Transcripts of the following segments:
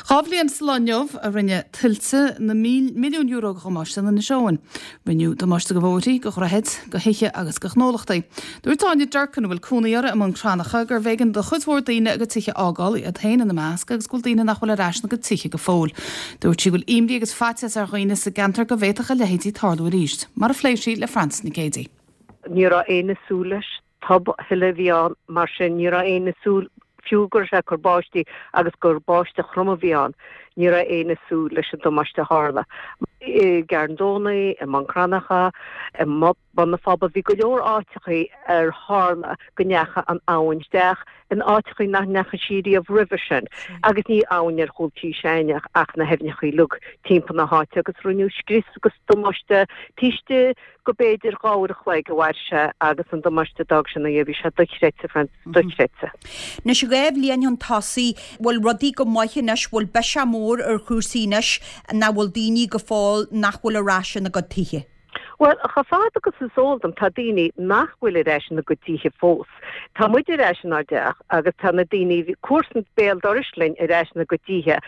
2 bhliain sa lá inniu a rinne tuilte na milliúin euro de dhamáiste in Inis Eoghain. Rinneadh damáiste do bhóithrí, do dhroichid, do thithe agus do ghnólachtaí. Dúirt Áine Durkin, a bhfuil cónaí uirthi i mBun Cranncha, gurbh éigean do chuid mhór daoine a gcuid tithe a fhágáil, iad féin ina measc, agus go bhfuil daoine nach bhfuil ar ais ina gcuid tithe go fóill. Dúirt sí go bhfuil imní agus faitíos ar dhaoine sa gceantar go bhféadfadh a leithéidí tarlú arís, mar a phléigh sí le Frances Nic Géadaigh. Ní raibh éinne ag súil leis. Tobthuile a bhí ann, mar sin ní raibh éinne ag súil, fiú go raibh sé ag cur báistí agus gur báisteach throm a bhí ann, ní raibh éinne ag súil leis an damáiste a tharla. I gCarn Domhnaigh, i mBun Cranncha, i mBun na Fába, bhí go leor áiteachaí ar tharla go ndeachaigh an abhainn isteach in áiteachaí nach ndeachaigh sí riamh roimhe sin. Agus ní abhainn ar chúl tí s'againne ach na haibhneachaí uilig timpeall na háite agus rinneadh scrios agus damáiste taobh istigh go b'fhéidir 2 uair a chloig a mhair sé agus an damáiste a d'fhág sé ina dhiaidh, bhí sé dochreidte, Frances, dochreidte. Anois, 2 bhliain chun tosaigh, bhfuil rudaí go maith anois, bhfuil biseach mór ar chúrsaí anois, nach bhfuil daoine go fóill nach bhfuil ar ais ina gcuid tithe? Bhuel, chomh fada agus is eol dom, tá daoine nach bhfuil ar ais ina gcuid tithe fós. Tá muid ar ais inár dteach agus tá na daoine, comharsan béal dorais linn ar ais ina gcuid tithe.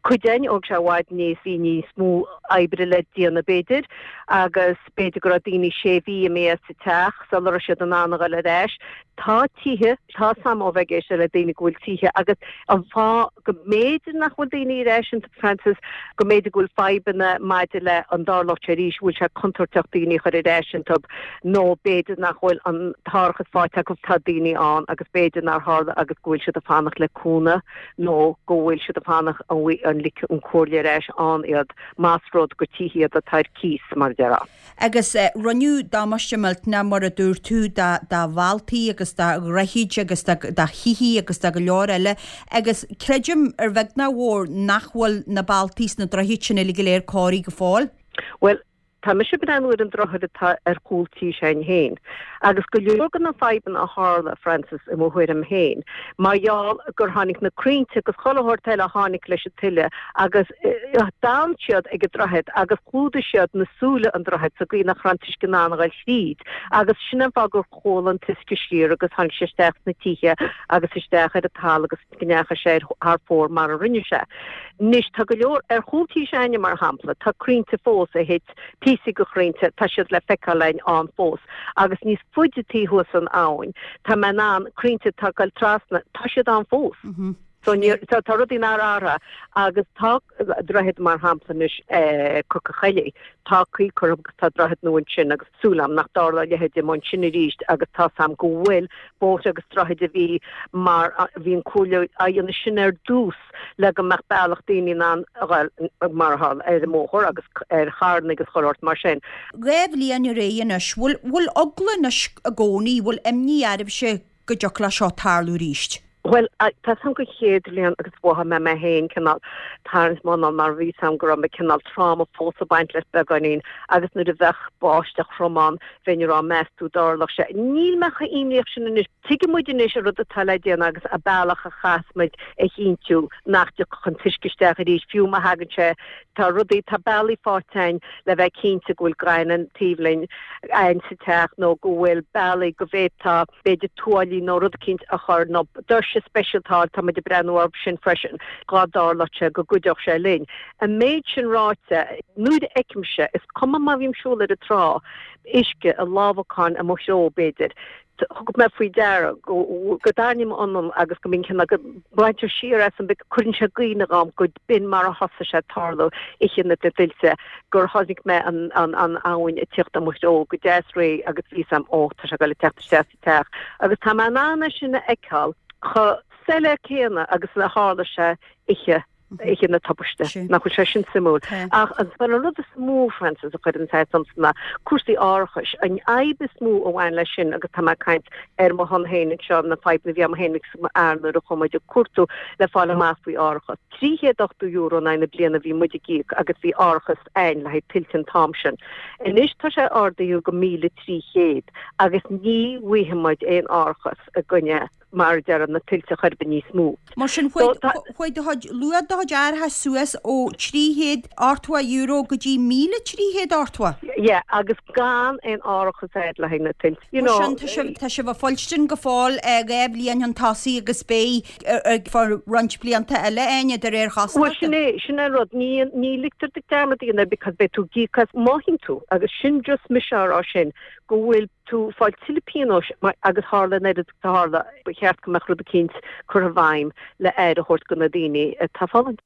Cuid againn, thóg sé i bhfad níos, bhí níos mó oibre le déanamh b'fhéidir agus b'fhéidir go raibh daoine sé mhí imithe as an teach sula raibh siad in ann a dhul ar ais. Tá tithe, tá 's a'm ó bheith ag éisteacht le daoine go bhfuil tithe agus an fáth go mb'fhéidir nach bhfuil daoine ar ais iontu, Frances, go mb'fhéidir go bhfuil fadhbanna maidir le an dtarlódh sé arís, bhfuil sé contúirteach daoine a chur ar ais iontu nó b'fhéidir nach bhfuil an t-árachas faighte acu, tá daoine ann agus b'fhéidir nár tharla agus go bhfuil siad ag fanacht le cúnamh nó go bhfuil siad ag fanacht an ligfidh an comhairle ar ais ann iad más rud gur tithe iad atá ar cíos, mar a déarfá. Agus rinneadh damáiste millteanach, mar a dúirt tú, do bhealtaí agus do dhroichid agus do thithe agus do go leor eile. Agus creidim, ar bheag ná mhór, nach bhfuil na bealtaí is na droichid sin uilig go léir cóirithe go fóill. Bhuel, tá mise ag breathnú ar an droichead atá ar chúl tí s'againn féin. Agus go leor de na fadhbanna a tharla, Frances, i mo thuairim féin, mar gheall gur tháinig na crainnte agus chuile shórt eile a tháinig leis an tuile agus d'fhan siad ag an droichead agus chlúdaigh siad na súile an droichid sa gcaoi nach raibh an t-uisce in ann a ghoil thríd agus sin an fáth gur chuala an t-uisce siar agus tháinig sé isteach sna tithe agus isteach ar an talamh agus go ndeachaigh sé thar fóir mar a rinne sé. Anois, tá go leor, ar chúl tí s'againne, mar shampla, tá crainnte fós a thit, píosaí de chrainnte, tá siad le feiceáil againn ann fós. Agus níos faide taobh thuas an abhainn, tá mé in ann, crainnte atá ag goil trasna, tá siad ann fós. So níor, tá, tá rudaí nár athraigh. Agus tá droichead, mar shampla anois, Cnoc an Choilligh, tá caoi curtha agus tá droichead nua ansin agus súil agam nach dtarlóidh a leithéid amuigh ansin arís agus tá's agam go bhfuil bóithre agus droichid a bhí mar a bhí an comhairle á dhéanamh sin ar dtús le go mbeadh bealach daoine in ann a ghoil mar atá ar an mbóthar agus ar charranna agus chuile shórt mar sin. 2 bhliain ar aghaidh anois, bhfuil, bhfuil eagla anois i gcónaí, bhfuil imní oraibhse go dtiocfadh leis seo tarlú arís? Bhuel, tá 's a'm an chéad bhliain agus mhothaigh mé mé féin cineál tarraingt m'anáil mar bhí 's a'm go raibh mé cineál tráma fós ag baint leis beagáinín agus nuair a bheadh báisteach throm ann bheinn ag rá meas tú dtarlódh sé. Níl mé chomh imníoch sin anois. Tuigeann muid anois an rud atá le déanamh agus an bealach a chaithfeas muid a chinntiú nach dtiocfadh an t-uisce isteach arís fiú má thagann sé. Tá rudaí, tá bealaí faighte againn le bheith cinnte go bhfuil gaineamh taobh linn againn sa teach nó go bhfuil bealaí go bhféadfá b'fhéidir tuáillí nó rud eicínt a chur, nó doirse speisialta a fháil, tá muid ag breathnú orthu sin freisin, dhá dtarlódh sé go gcuideodh sé linn. An méid sin ráite, nuair a fheicimse, is cuma má bhím ag siúl ar an trá, uisce ag lámhacán i mo threo, b'fhéidir, thug mé faoi deara go dtarraingím m'anáil agus go mbíonn cineál, go mbaintear siar asam, cuireann sé i gcuimhne dhom go b'in mar a thosaigh sé ag tarlú oíche na dtuilte, gur chonaic mé an abhainn ag tíocht i mo threo go deas réidh agus bhí 's a'm, ó, tá sé ag goil ag teacht isteach sa teach. Agus tá mé in ann é sin a fheiceáil chomh soiléir céanna agus a tharla sé oíche, oíche na tubaiste. Nach bhfuil sé sin suimiúil? Ach an rud is mó, Frances, a chuireann fearg ormsa ná cúrsaí árachais. An fhadhb is mó a bhain leis sin, agus tá mé ag caint ar mo shon féin anseo, na fadhbanna a bhí agam féin agus mo fhear nuair a chuaigh muid ag cuartú le fáil amach faoi árachas. €380 in aghaidh na bliana a bhí muid ag íoc agus bhí árachas a'ainn le haghaidh tuilte an t-am sin. Anois tá sé ardaithe go 1,300 agus ní bhfaighidh muid aon árachas i gcoinne. mar a déarfá, na tuilte chor ar bith níos mó. Mar sin, chuaigh do chuid, luach do chuid árachais suas ó €380 go dtí 1,380. Yeah, agus gan aon árachas agat le haghaidh na tuilte, you know. Mar sin, tá sibh, tá sibh ag fuilstin go fóill 2 bhliain chun tosaigh agus beidh ar feadh roinnt blianta eile, Áine, de réir chosúlachta. Bhuel, sin é, sin é an rud, ní, ní ligtear duit dearmad a dhéanamh because beidh tú ag íoc as, má théann tú, agus sin just mise á rá sin, go bhfuil tú ag fáil tuilleadh pionóis agus tharla an oiread agus a tharla, ba cheart go mbeadh rud eicínt curtha i bhfeidhm le aire a thabhairt do na daoine atá ag fulaingt.